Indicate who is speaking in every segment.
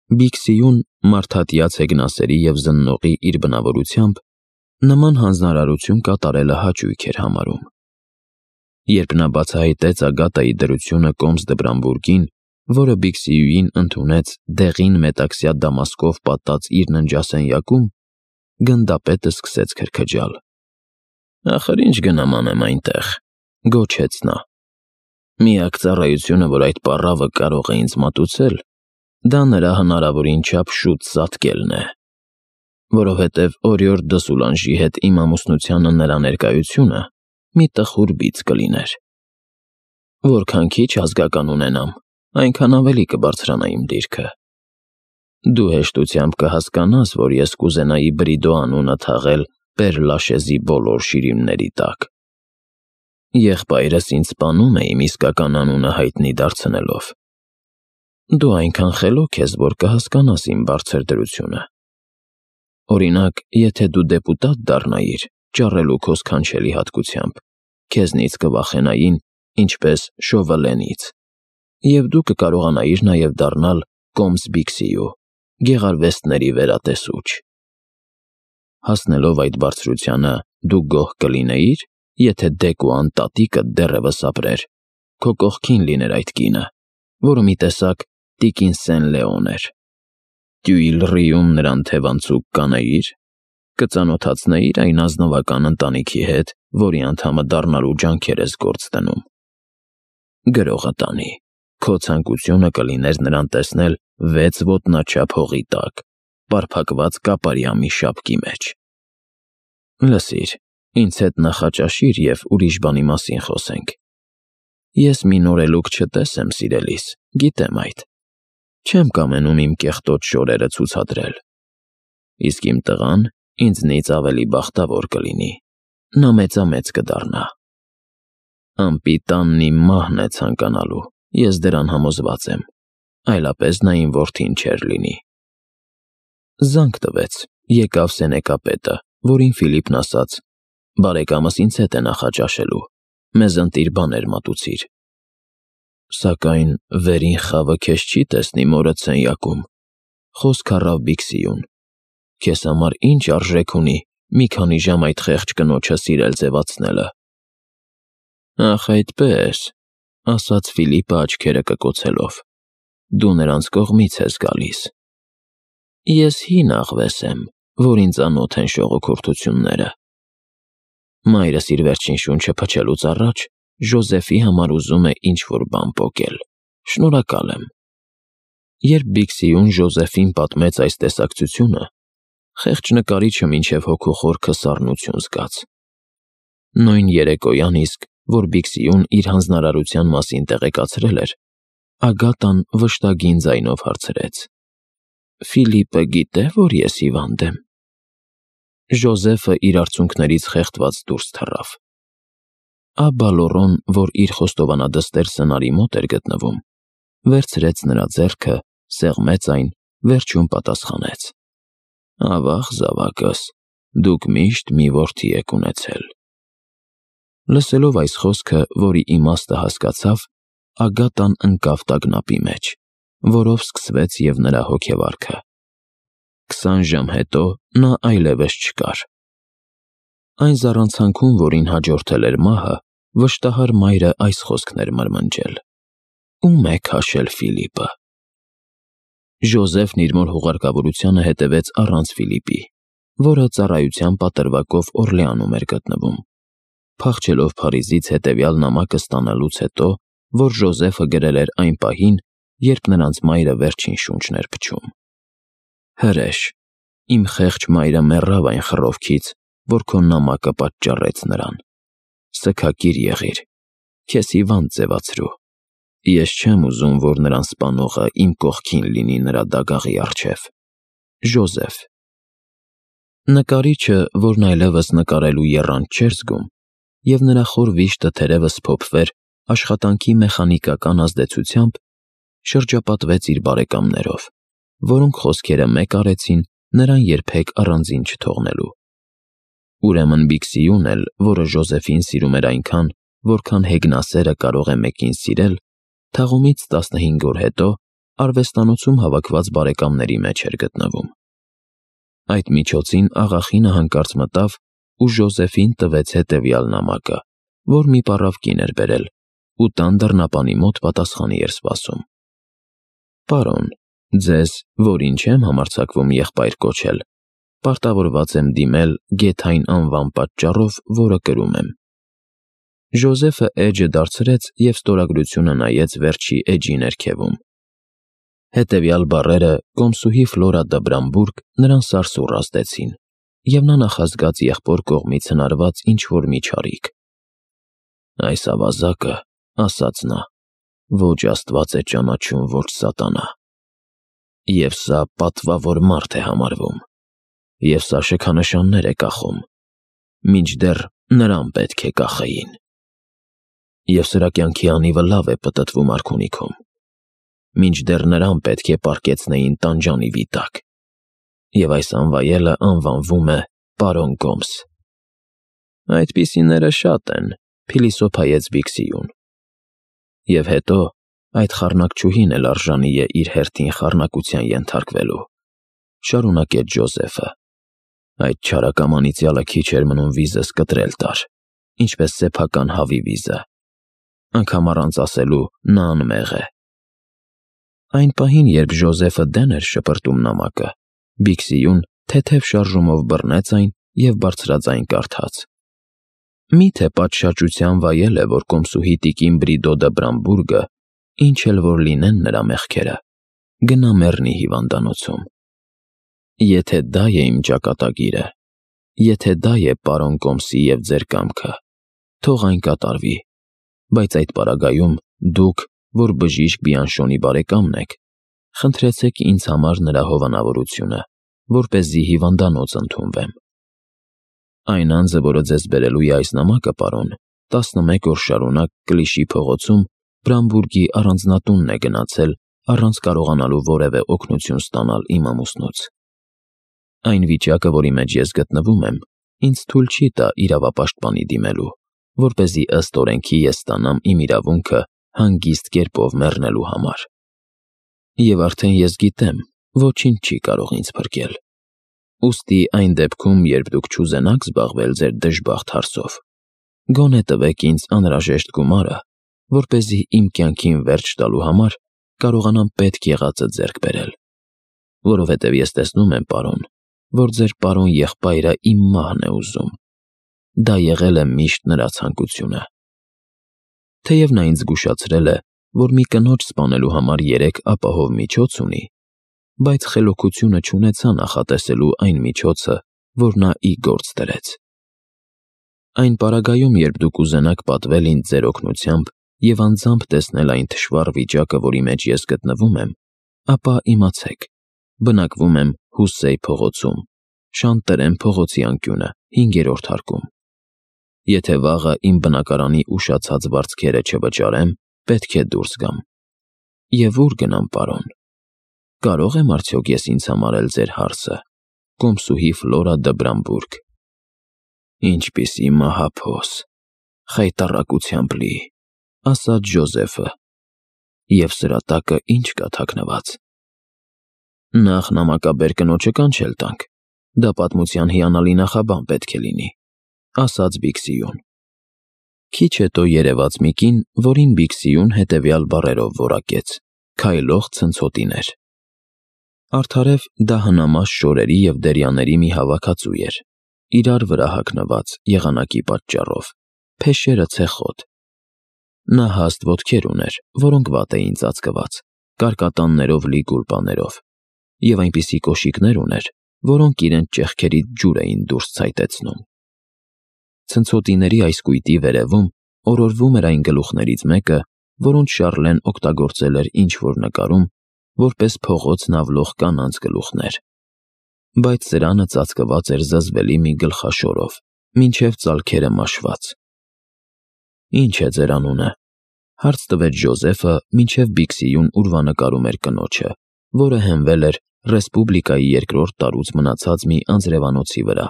Speaker 1: Բիքսիուն մարդատյաց հեգնասերի և զննողի իր բնավորությամբ նման հանձնարարություն կատարելը հաճույք էր համարում։ Երբ նա բացահայտեց Ագատայի դրությունը Կոմս Դբրամբուրգին, որը Բիքսիուին ընդունեց դեղին մետաքսյա դամասկով պատած իր ննջասենյակում, գնդապետը սկսեց քրքջալ։ «Ախր ինչ գնամ անեմ այնտեղ», գոչեց նա։ «Միակ ծառայությունը, որ այդ պառավը կարող է ինձ մատուցել, դա նրա հնարավորին չափ շուտ ծածկելն է, որովհետև օրիորդ Դսուլանժի հետ իմ ամուսնությանը նրա ներկայությունը մի տխուր բիծ կլիներ։ Որքան քիչ ազգական ունենամ, այնքան ավելի կբարձրանա իմ դիրքը։ Դու հեշտությամբ կհասկանաս, որ ես կուզենայի Բրիդո անունը թաղել Պեր-Լաշեզի բոլոր շիրիմների տակ։ Եղբայրս ինձ սպանում է իմ իսկական անունը հայտնի դարձնելով։ Դու այնքան խելոք ես, որ կհասկանաս իմ բարձր դրությունը։ Օրինակ, եթե դու դեպուտատ դառնայիր, ճառելու քո սքանչելի հատկությամբ, քեզնից կվախենային, ինչպես Շովալենից, և դու կկարողանայիր նաև դառնալ Կոմս Բիքսիու, գեղարվեստների վերատեսուչ։ Հասնելով այդ բարձրությանը, դու գոհ կլինեիր, եթե Դեկուան տատիկդ դեռևս ապրեր, քո կողքին լիներ այդ կինը, որը մի տեսակ տիկին Սեն-Լեոն էր։ Տյուիլրիում նրան թևանցուկ կանեիր, կծանոթացնեիր այն ազնվական ընտանիքի հետ, որի անդամը դառնալու ջանքեր ես գործ դնում։ Գրողը տանի, քո ցանկությունը կլիներ նրան տեսնել 6 ոտնաչափ հողի տակ, պարփակված կապարյա մի շապկի մեջ։ Լսիր, ինձ հետ նախաճաշիր և ուրիշ բանի մասին խոսենք։ Ես մի նորելուկ չտեսեմ, սիրելիս, գիտեմ այդ։ Չեմ կամենում իմ կեղտոտ շորերը ցուցադրել։ Իսկ իմ տղան ինձնից ավելի բախտավոր կլինի, նա մեծամեծ կդառնա։ Անպիտանն իմ մահն է ցանկանալու, ես դրան համոզված եմ, այլապես նա իմ որդին չէր լինի։ Զանգ տվեց, եկավ Սենեկապետը, որին Ֆիլիպն ասաց. «Բարեկամս ինձ հետ է նախաճաշելու, մեզ ընտիր բաներ մատուցիր»։ Սակայն վերին խավը քեզ չի տեսնի մորդ սենյակում, խոսք առավ Բիքսիուն։ Քեզ համար ինչ արժեք ունի մի քանի ժամ այդ խեղճ կնոջը սիրել ձևացնելը։ Ախ, այդպես, ասաց Ֆիլիպը աչքերը կկոցելով, դու նրանց կողմից ես գալիս։ Ես հին աղվես եմ, որին ծանոթ են շողոքորթությունները։ Մայրս իր վերջին շունչը փչելուց առաջ Ժոզեֆի համար ուզում է ինչ-որ բան պոկել։ Շնորհակալ եմ։ Երբ Բիքսիուն Ժոզեֆին պատմեց այս տեսակցությունը, խեղճ նկարիչը մինչև հոգու խորքը սառնություն զգաց։ Նույն երեկոյան իսկ, որ Բիքսիուն իր հանձնարարության մասին տեղեկացրել էր, Ագատան վշտագին ձայնով հարցրեց. «Ֆիլիպը գիտե, որ ես հիվանդ եմ»։ Ժոզեֆը իր արցունքներից խեղդված դուրս թռավ։ Աբա Լորոն, որ իր խոստովանադստեր սնարի մոտ էր գտնվում, վերցրեց նրա ձեռքը, սեղմեց այն, վերջում պատասխանեց. «Ավաղ, զավակս, դուք միշտ մի որդի եք ունեցել»։ Լսելով այս խոսքը, որի իմաստը հասկացավ, Ագատան ընկավ տագնապի մեջ, որով սկսվեց և նրա հոգեվարքը։ 20 ժամ հետո նա այլևս չկար։ Այն զառանցանքում, որին հաջորդել էր մահը, վշտահար մայրը այս խոսքն էր մրմնջել. «Ո՞ւմ է քաշել Ֆիլիպը»։ Ժոզեֆն իր մոր հուղարկավորությանը հետևեց առանց Ֆիլիպի, որը ծառայության պատրվակով Օրլեանում էր գտնվում, փախչելով Փարիզից հետևյալ նամակը ստանալուց հետո, որ Ժոզեֆը գրել էր այն պահին, երբ նրանց մայրը վերջին շունչն էր փչում։ Հրեշ, իմ խեղճ մայրը մեռավ այն խռովքից, որ քո նամակը պատճառեց նրան։ Սգակիր եղիր, քեզ հիվանդ ձևացրու։ Ես չեմ ուզում, որ նրան սպանողը իմ կողքին լինի նրա դագաղի առջև։ Ժոզեֆ։ Նկարիչը, որն այլևս նկարելու եռանդ չէր զգում, և նրա խոր վիշտը թերևս փոփվեր աշխատանքի մեխանիկական ազդեցությամբ, շրջապատվեց իր բարեկամներով, որոնք խոսքերը մեկ արեցին նրան երբեք առանձին չթողնելու։ Ուրեմն Բիքսիուն էլ, որը Ժոզեֆին սիրում էր այնքան, որքան հեգնասերը կարող է մեկին սիրել, թաղումից 15 օր հետո արվեստանոցում հավաքված բարեկամների մեջ էր գտնվում։ Այդ միջոցին աղախինը հանկարծ մտավ ու Ժոզեֆին տվեց հետևյալ նամակը, որ մի պառավ կին էր բերել, ու տան դռնապանի մոտ պատասխանի էր սպասում։ Պարոն, ձեզ, որին չեմ համարձակվում եղբայր կոչել, պարտավորված եմ դիմել գեթային անվան պատճառով, որը կրում եմ։ Ժոզեֆը էջը դարձրեց և ստորագրությունը նայեց վերջի էջի ներքևում։ Հետևյալ բառերը կոմսուհի Ֆլորա դը Բրամբուրգ նրան սարսուռ ազդեցին, և նա նախազգաց եղբոր կողմից հնարված ինչ-որ մի չարիք։ Այս ավազակը, ասաց նա, ոչ Աստված է ճանաչում, ոչ սատանա։ Եվ սա պատվավոր մարդ է համարվում, և սա շքանշաններ է կախում, մինչդեռ նրան պետք է կախեին։ Եվ սրա կյանքի անիվը լավ է պտտվում արքունիքում, մինչդեռ նրան պետք է պառկեցնեին տանջանիվի տակ, և այս անվայելը անվանվում է պարոն Գոմս։ Այդպիսիները շատ են, փիլիսոփայեց Բիքսիուն։ Եվ հետո այդ խառնակչուհին էլ արժանի է իր հերթին խառնակության ենթարկվելու, շարունակեց Ջոզեֆը։ Այդ չարակամ անիծյալը քիչ էր մնում վիզս կտրել տար, ինչպես սեփական հավի վիզը։ Անգամ առանց ասելու նա անմեղ է։ Այն պահին, երբ Ժոզեֆը դեն էր շպրտում նամակը, Բիքսիուն թեթև շարժումով բռնեց այն և բարձրաձայն կարդաց. Միթե պատշաճության վայել է, որ կոմսուհի տիկին Բրիդո դը Բրամբուրգը, ինչ էլ որ լինեն նրա մեղքերը, գնա մեռնի հիվանդանոցում։ Եթե դա է իմ ճակատագիրը, եթե դա է պարոն Կոմսի և ձեր կամքը, թող այն կատարվի, բայց այդ պարագայում դուք, որ բժիշկ Բիանշոնի բարեկամն եք, խնդրեցեք ինձ համար նրա հովանավորությունը, որպեսզի հիվանդանոց ընդունվեմ։ Այն անձը, որը ձեզ բերելու է այս նամակը, պարոն, 11 օր շարունակ Կլիշի փողոցում Բրամբուրգի առանձնատունն է գնացել առանց կարողանալու որևէ օգնություն ստանալ իմ ամուսնուց։ Այն վիճակը, որի մեջ ես գտնվում եմ, ինձ թույլ չի տա իրավապաշտպանի դիմելու, որպեսզի ըստ օրենքի ես ստանամ իմ իրավունքը հանգիստ կերպով մեռնելու համար։ Եվ արդեն ես գիտեմ, ոչինչ չի կարող ինձ փրկել։ Ուստի այն դեպքում, երբ դուք չուզենաք զբաղվել ձեր դժբախտ հարցով, գոնե տվեք ինձ անհրաժեշտ գումարը, որպեսզի իմ կյանքին վերջ տալու համար կարողանամ պետք եղածը ձեռք բերել, որովհետև ես տեսնում եմ, պարոն, որ ձեր պարոն եղբայրը իմ մահն է ուզում։ Դա եղել է միշտ նրա ցանկությունը։ Թեև նա ինձ զգուշացրել է, որ մի կնոջ սպանելու համար 3 ապահով միջոց ունի, բայց խելոքությունը չունեցա նախատեսելու այն միջոցը, որ նա ի գործ դրեց։ Այն պարագայում, երբ դուք ուզենաք պատվել ինձ ձեր օգնությամբ և անձամբ տեսնել այն թշվառ վիճակը, որի մեջ ես գտնվում եմ, ապա իմացեք, բնակվում եմ Հուսսեյ փողոցում, Շանտրեն փողոցի անկյունը, 5-րդ հարկում։ Եթե վաղը իմ բնակարանի ուշացած վարձքերը չվճարեմ, պետք է դուրս գամ։ Եվ ուր գնամ, պարոն։ Կարող եմ արդյոք ես ինձ համարել ձեր հարսը, կոմսուհի Ֆլորա դը Բրամբուրգ։ Ինչպիսի մահափոս, խայտառակությամբ լի, ասաց Ջոզեֆը, և սրա տակը ինչ կա թաքնված։ Նախ նամակաբեր կնոջը կանչել տանք, դա պատմության հիանալի նախաբան պետք է լինի, ասաց Բիքսիուն։ Քիչ հետո երևաց մի կին, որին Բիքսիուն հետևյալ բառերով որակեց. քայլող ցնցոտիներ։ Արդարև դա հնամաշ շորերի և դերյաների մի հավաքածու էր, իրար վրա հագնված եղանակի պատճառով, փեշերը ցեխոտ։ Նա հաստ ոտքեր ուներ, որոնք վատ էին ծածկված, կարկատաններով լի գուլպաներով, և այնպիսի կոշիկներ ուներ, որոնք իրենց ճեղքերից ջուր էին դուրս ցայտեցնում։ Ցնցոտիների այս կույտի վերևում օրորվում էր այն գլուխներից մեկը, որոնց Շառլեն օգտագործել էր ինչ-որ նկարում, որպես փողոց նավլող կանանց գլուխներ, բայց սրանը ծածկված էր զզվելի մի գլխաշորով, մինչև ծալքերը մաշված։ Ինչ է ձեր անունը, հարց տվեց Ջոզեֆը, մինչև Բիքսիուն ուրվանկարում էր կնոջը, որը հենվել էր Ռեսպուբլիկայի 2-րդ տարուց մնացած մի անձրևանոցի վրա։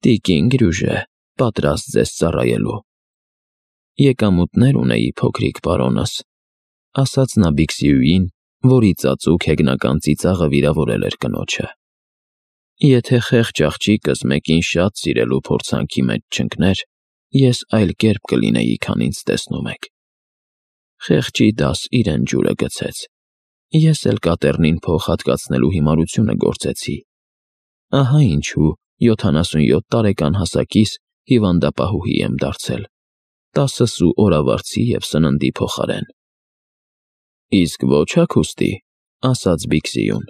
Speaker 1: Տիկին Գրյուժե, պատրաստ ձեզ ծառայելու։ Եկամուտներ ունեի, փոքրիկ պարոնս, ասաց նա Բիքսիուին, որի ծածուկ հեգնական ծիծաղը վիրավորել էր կնոջը։ Եթե խեղճ աղջիկս մեկին շատ սիրելու փորձանքի մեջ չընկներ, ես այլ կերպ կլինեի, քան ինձ տեսնում եք։ Խեղճի դաս իրեն ջուրը գցեց։ Ես էլ կատեռնին փող հատկացնելու հիմարությունը գործեցի։ Ահա ինչու 77 տարեկան հասակիս հիվանդապահուհի եմ դարձել, 10 սու օրավարձի և սննդի փոխարեն։ Իսկ ոչ հագուստի, ասաց Բիքսիուն։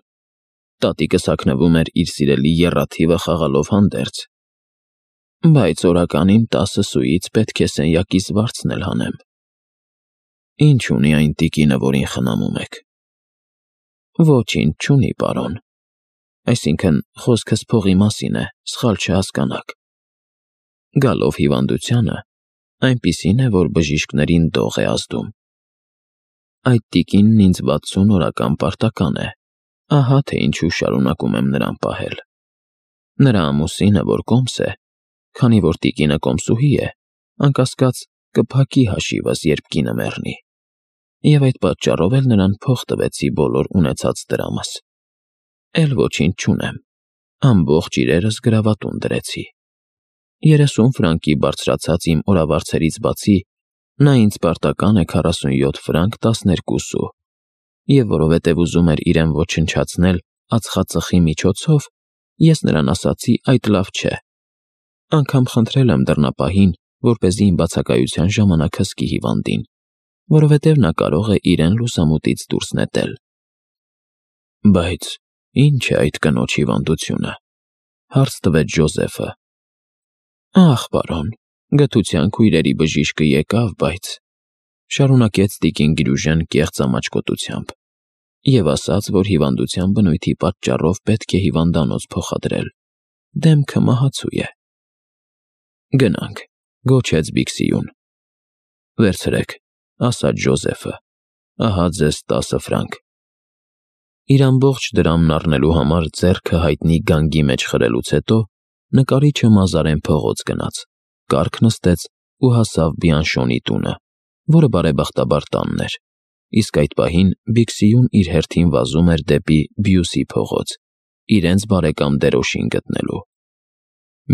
Speaker 1: Տատիկս հագնվում էր իր սիրելի եռաթիվը խաղալով հանդերձ։ Բայց օրականին 10 սուից պետք է սենյակիս վարձն էլ հանեմ։ Ինչ ունի այն տիկինը, որին խնամում եք։ Ոչինչ չունի, պարոն։ Այսինքն, խոսքս փողի մասին է, սխալ չհասկանաք։ Գալով հիվանդությանը, այնպիսին է, որ բժիշկներին դող է ազդում։ Այդ տիկինն ինձ 60 օրական պարտական է, ահա թե ինչու շարունակում եմ նրան պահել։ Նրա ամուսինը, որ կոմս է, քանի որ տիկինը կոմսուհի է, անկասկած կփակի հաշիվս, երբ կինը մեռնի, և այդ պատճառով էլ նրան փող տվեցի բոլոր ունեցած դրամս։ Էլ ոչինչ չունեմ, ամբողջ իրերս գրավատուն դրեցի։ 30 ֆրանկի բարձրացած իմ օրավարձերից բացի, նա ինձ պարտական է 47 ֆրանկ 12 սու, և որովհետև ուզում էր իրեն ոչնչացնել ածխածխի միջոցով, ես նրան ասացի այդ լավ չէ։ Անգամ խնդրել եմ դռնապահին, որպեսզի իմ բացակայության ժամանակ հսկի հիվանդին, որովհետև նա կարող է իրեն լուսամուտից դուրս նետել։ Բայց ինչ է այդ կնոջ հիվանդությունը, հարց տվեց Ջոզեֆը։ Ախ, պարոն, գթության քույրերի բժիշկը եկավ, բայց… Շարունակեց տիկին Գրյուժեն կեղծ ամաչկոտությամբ և ասաց, որ հիվանդության բնույթի պատճառով պետք է հիվանդանոց փոխադրել։ Դեմքը մահացու է։ Գնանք, գոչեց Բիքսիուն։ Վերցրեք, ասաց Ջոզեֆը, ահա ձեզ 10 ֆրանկ։ Իր ամբողջ դրամն առնելու համար ձեռքը հայտնի գանգի մեջ խրելուց հետո նկարիչը մազարեն փողոց գնաց, կառք նստեց ու հասավ Բիանշոնի տունը, որը բարեբախտաբար տանն էր, իսկ այդ պահին Բիքսիուն իր հերթին վազում էր դեպի Բյուսի փողոց, իրենց բարեկամ Դերոշին գտնելու։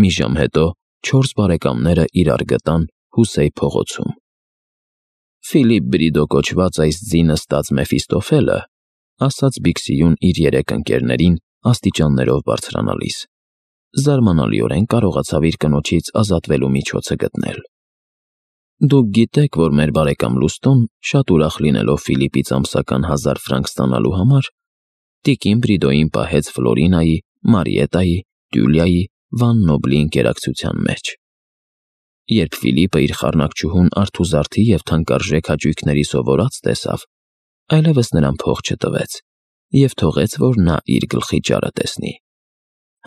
Speaker 1: Մի ժամ հետո 4 բարեկամները իրար գտան Հուսեի փողոցում։ Ֆիլիպ Բրիդո կոչված այս ձինը ստած Մեֆիստոֆելը, ասաց Բիքսիուն իր 3 ընկերներին աստիճաններով բարձրանալիս, զարմանալիորեն կարողացավ իր կնոջից ազատվելու միջոցը գտնել։ Դուք գիտեք, որ մեր բարեկամ Լուստոն, շատ ուրախ լինելով Ֆիլիպից ամսական 1000 ֆրանկ ստանալու համար, տիկին Բրիդոյին պահեց Ֆլորինայի, Մարիետայի, Տյուլիայի, Վան Նոբլի ընկերակցության մեջ։ Երբ Ֆիլիպը իր խառնակչուհուն արթուզարդի և թանկարժեք հաճույքների սովորած տեսավ, այլևս նրան փող չտվեց և թողեց, որ նա իր գլխի ճարը տեսնի։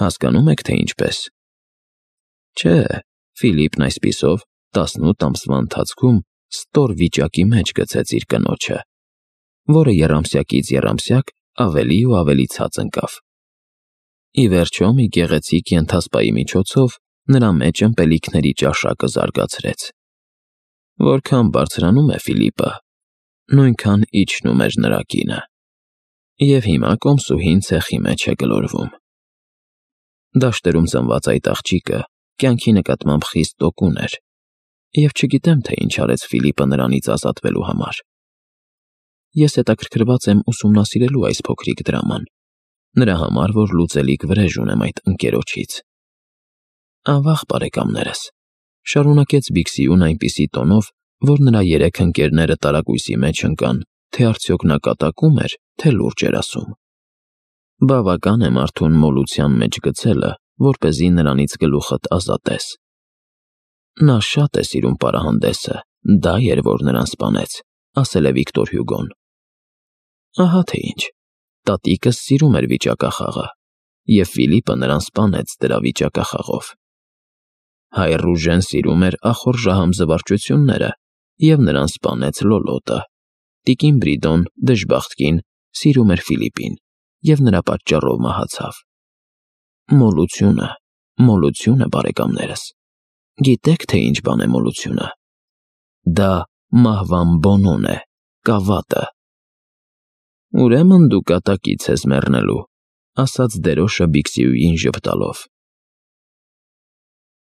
Speaker 1: Հասկանում եք, թե ինչպես։ Չէ, Ֆիլիպն այսպիսով 18 ամսվա ընթացքում ստոր վիճակի մեջ գցեց իր կնոջը, որը եռամսյակից եռամսյակ ավելի ու ավելի ցած ընկավ։ Ի վերջո, մի գեղեցիկ ենթասպայի միջոցով նրա մեջ ըմպելիքների ճաշակը զարգացրեց։ Որքան բարձրանում է Ֆիլիպը, նույնքան իջնում էր նրա կինը, և հիմա կոմսուհին ցեխի մեջ է գլորվում։ Դաշտերում ծնված այդ աղջիկը կյանքի նկատմամբ խիստ տոկուն էր, և չգիտեմ, թե ինչ արեց Ֆիլիպը նրանից ազատվելու համար։ Ես հետաքրքրված եմ ուսումնասիրելու այս փոքրիկ դրաման, նրա համար, որ լուծելիք վրեժ ունեմ այդ ընկերոջից։ Ավաղ, բարեկամներս, շարունակեց Բիքսիուն այնպիսի տոնով, որ նրա 3 ընկերները տարակույսի մեջ ընկան, թե արդյոք նա կատակում էր, թե լուրջ էր ասում։ Բավական է մարդուն մոլության մեջ գցելը, որպեսզի նրանից գլուխդ ազատես։ Նա շատ է սիրում պարահանդեսը, դա էր, որ նրան սպանեց, ասել է Վիկտոր Հյուգոն։ Ահա թե ինչ, տատիկս սիրում էր վիճակախաղը, և Ֆիլիպը նրան սպանեց դրա վիճակախաղով։ Հայր Ռուժեն սիրում էր ախորժահամ զվարճությունները, և նրան սպանեց Լոլոտը։ Տիկին Բրիդոն, դժբախտ կին, սիրում էր Ֆիլիպին, և նրա պատճառով մահացավ։ Մոլությունը, բարեկամներս։ Գիտեք, թե ինչ բան է մոլությունը։ Դա մահվան բոնոն է, կավատը։ Ուրեմն դու կատակից ես մեռնելու, ասաց դերոշը Բիքսիուին ժպտալով։